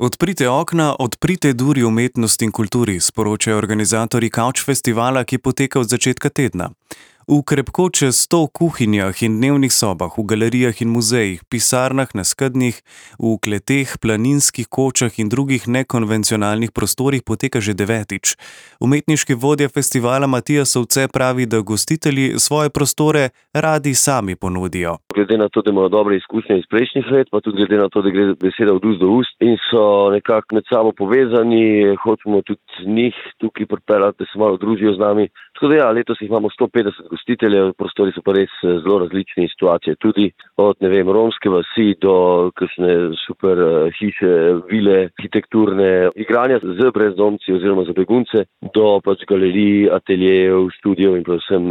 Odprite okna, odprite duri umetnosti in kulturi, sporočajo organizatorji Kavč festivala, ki poteka od začetka tedna. V krepko čez 100 kuhinjah in dnevnih sobah, v galerijah in muzejih, pisarnah na skednjih, v kleteh, planinskih kočah in drugih nekonvencionalnih prostorih poteka že 9. Umetniški vodja festivala Matija Sovce pravi, da gostitelji svoje prostore radi sami ponudijo. Glede na to, da imajo dobre izkušnje iz prejšnjih let, pa tudi glede na to, da gre beseda od ust do ust in so nekako med sabo povezani, hočemo tudi njih tukaj pripeljati, da se malo družijo z nami. Tako da letos jih imamo 150 gostiteljev, prostori so pa res zelo različni, situacije tudi od, romske vasi do kakšne super hiše, vile, arhitekturne, igranja z brezdomci oziroma za begunce, do galerij, ateljejev, studijev in predvsem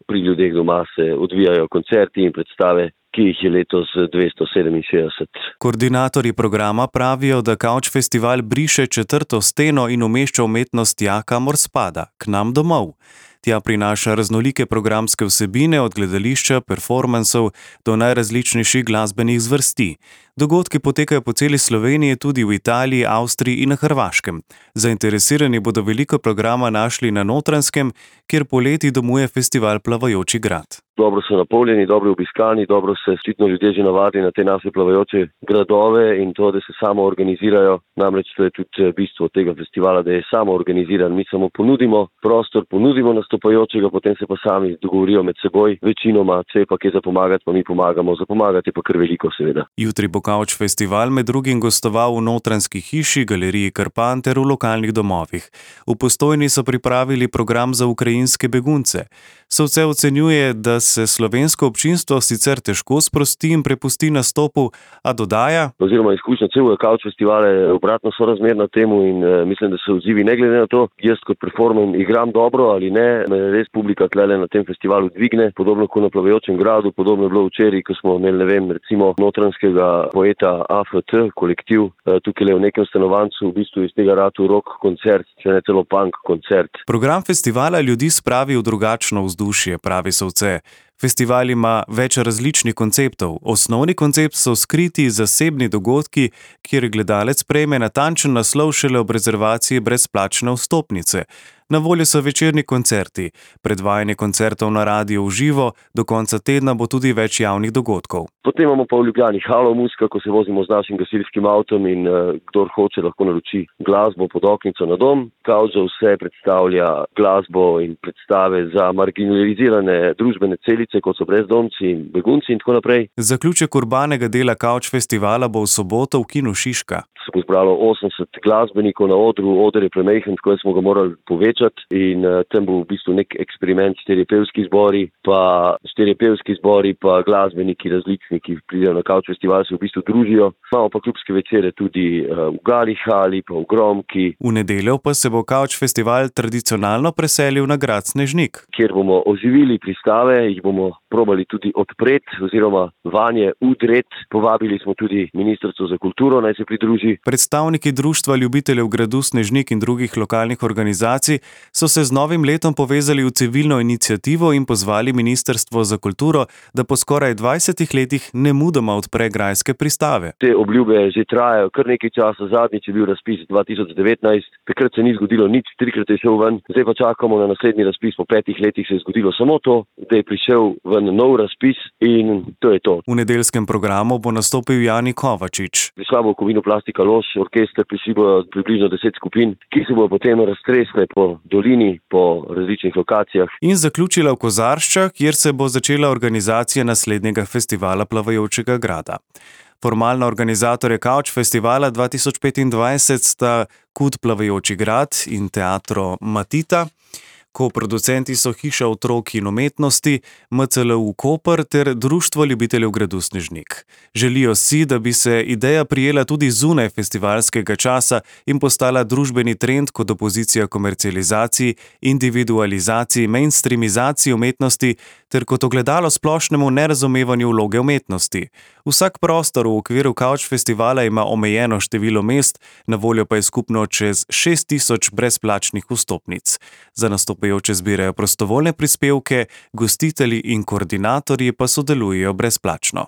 pri ljudeh doma se odvijajo koncerti in predstave, ki jih je letos 267. Koordinatorji programa pravijo, da Kavč festival briše četrto steno in umešča umetnost tja, kamor spada, k nam domov. Tja prinaša raznolike programske vsebine od gledališča, performansov do najrazličnejših glasbenih zvrsti. Dogodki potekajo po celi Sloveniji, tudi v Italiji, Avstriji in na Hrvaškem. Zainteresirani bodo veliko programa našli na Notranjskem, kjer poleti domuje festival Plavajoči grad. Dobro so napolnjeni, dobro obiskani, dobro se očitno ljudje že navadi na te naše plavajoče gradove in to, da se samo organizirajo. Namreč to je tudi bistvo tega festivala, da je samo organiziran. Mi samo ponudimo prostor, ponudimo nastopajočega, potem se pa sami dogovorijo med seboj. Večinoma, če pa kje za pomagati, pa mi pomagamo. Za pomagati je pa kar veliko, seveda. Jutri bo Kavč festival med drugim gostoval v Notranjski hiši, galeriji Krpan ter v lokalnih domovih. V Postojni so pripravili program za ukrajinske begunce. Sovce ocenjuje, da se slovensko občinstvo sicer težko sprosti in prepusti nastopu, a dodaja: Oziroma izkušnja celega Kavč festivala je obratno sorazmerna temu in mislim, da se odzivi ne glede na to, jaz kot performer igram dobro ali ne, me res publika tlele na tem festivalu dvigne, podobno kot na Plavajočem gradu, podobno je bilo včeraj, ko smo imeli, recimo notranjskega poeta AFT kolektiv, tukaj v nekem stanovancu, v bistvu iz tega ratu rock koncert, če ne celo punk koncert. Program festivala ljudi spravi v drugačno vzdušje, pravi Sovce. Festival ima več različnih konceptov. Osnovni koncept so skriti zasebni dogodki, kjer gledalec prejme natančen naslov šele ob rezervaciji brezplačne vstopnice. Na voljo so večerni koncerti, predvajanje koncertov na radiu v živo, do konca tedna bo tudi več javnih dogodkov. Potem imamo pa v Ljubljani Halo Muzika, ko se vozimo z našim gasilskim avtom in kdor hoče lahko naroči glasbo pod oknico na dom. Kavč za vse predstavlja glasbo in predstave za marginalizirane družbene celice, kot so brezdomci in begunci in tako naprej. Zaključek urbanega dela Kavč festivala bo v soboto v kinu Šiška. Se bo zbralo 80 glasbenikov na odru, oder je premajhen, tako smo ga morali povečati in tam bo v bistvu nek eksperiment, štirje pevski zbori pa glasbeniki različni, ki pridejo na Kavč festival, se v bistvu družijo. Imamo pa klubske večere tudi v Gali hali, pa v Gromki. V nedeljo pa se bo Kavč festival tradicionalno preselil na grad Snežnik, kjer bomo oživili pristave, jih bomo probali tudi odpreti oziroma vanje udreti. Povabili smo tudi Ministrstvo za kulturo, naj se pridruži. Predstavniki Društva ljubiteljev gradu Snežnik in drugih lokalnih organizacij so se z novim letom povezali v civilno iniciativo in pozvali Ministrstvo za kulturo, da po skoraj 20 letih nemudoma odpre grajske pristave. Te obljube že trajajo kar nekaj časa, zadnjič je bil razpis 2019, takrat se ni zgodilo nič, 3-krat je šel ven, zdaj pa čakamo na naslednji razpis, po 5 letih se je zgodilo samo to, da je prišel ven nov razpis in to je to. V nedeljskem programu bo nastopil Jani Kovačič. Prišla bo Kovino Plastika Lož, orkester, prišli bo približno 10 skupin, ki se bo potem raztresle po dolini, po različnih lokacijah. In zaključila v Kozarščah, kjer se bo začela organizacija naslednjega festivala Plavajočega grada. Formalna organizatorja Kavč festivala 2025 sta KUD Plavajoči grad in Teatro Matita. Koproducenti so Hiša otrok in umetnosti, MCLU Koper ter Društvo ljubiteljev gradu Snežnik. Želijo si, da bi se ideja prijela tudi zunaj festivalskega časa in postala družbeni trend kot opozicija komercializaciji, individualizaciji, mainstreamizaciji umetnosti ter kot ogledalo splošnemu nerazumevanju vloge umetnosti. Vsak prostor v okviru Kavč festivala ima omejeno število mest, na voljo pa je skupno čez 6000 brezplačnih vstopnic. Za nastopajoče zbirajo prostovoljne prispevke, gostitelji in koordinatorji pa sodelujejo brezplačno.